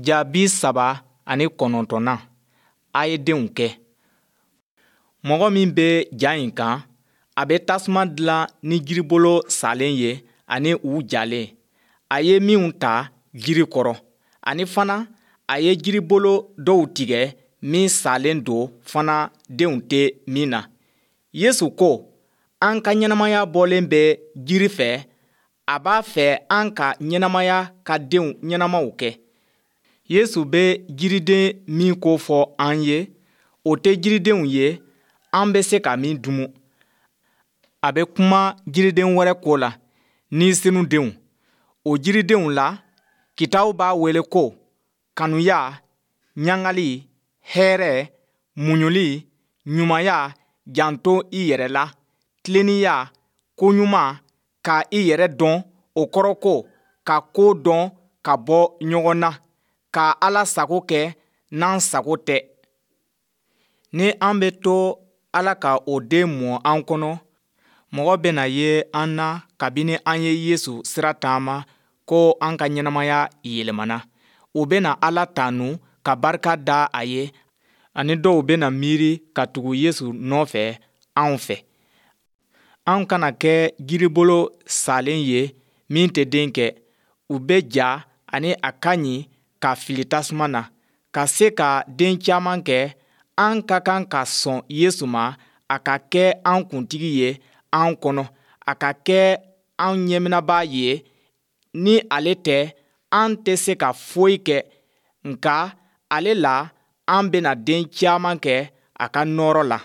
Ja 39, A ye denw kɛ. Mɔgɔ min bɛ ja in kan, a bɛ tasuma dilan ni jiribolo salen ye ani u jalen, a ye minw ta jiri kɔrɔ. Ani fana, a ye jiribolo dɔw tigɛ min salen don fana denw tɛ min na. Yesu ko an ka ɲɛnamaya bɔlen bɛ jiri fɛ, a b'a fɛ an ka ɲɛnamaya ka denw ɲɛnamaw kɛ. Yesu bɛ jiriden min ko fɔ an ye, o tɛ jiridenw ye an bɛ se ka min dumu. A bɛ kuma jiriden wɛrɛ ko la, Ni Senu denw. O jiridenw la, Kitabu b'a wele ko kanuya, ɲagali, hɛrɛ, muɲuli, ɲumanya, janto i yɛrɛ la, tilennenya, koɲuman, ka i yɛrɛ dɔn, o kɔrɔ ko ka ko dɔn ka bɔ ɲɔgɔn na, ka Ala sago kɛ n'an sago tɛ. Ni an bɛ to Ala ka o den mɔ an kɔnɔ, mɔgɔ bɛna ye an na kabini an ye Yesu sira taama ko an ka ɲɛnamaya yɛlɛmana. U bɛna Ala tanu ka barika da a ye ani dɔw bɛna miiri ka tugu Yesu nɔfɛ anw fɛ. An kana kɛ jiribolo salen ye min tɛ den kɛ. U bɛ ja ani a ka ɲi ka fili tasuma na. Ka se ka den caman kɛ, an ka kan ka sɔn Yesu ma a ka kɛ an kuntigi ye an kɔnɔ, a ka kɛ an ɲɛminɛbaa ye. Ni ale tɛ, an tɛ se ka foyi kɛ, nka ale la an bɛna den caman kɛ a ka nɔɔrɔ la.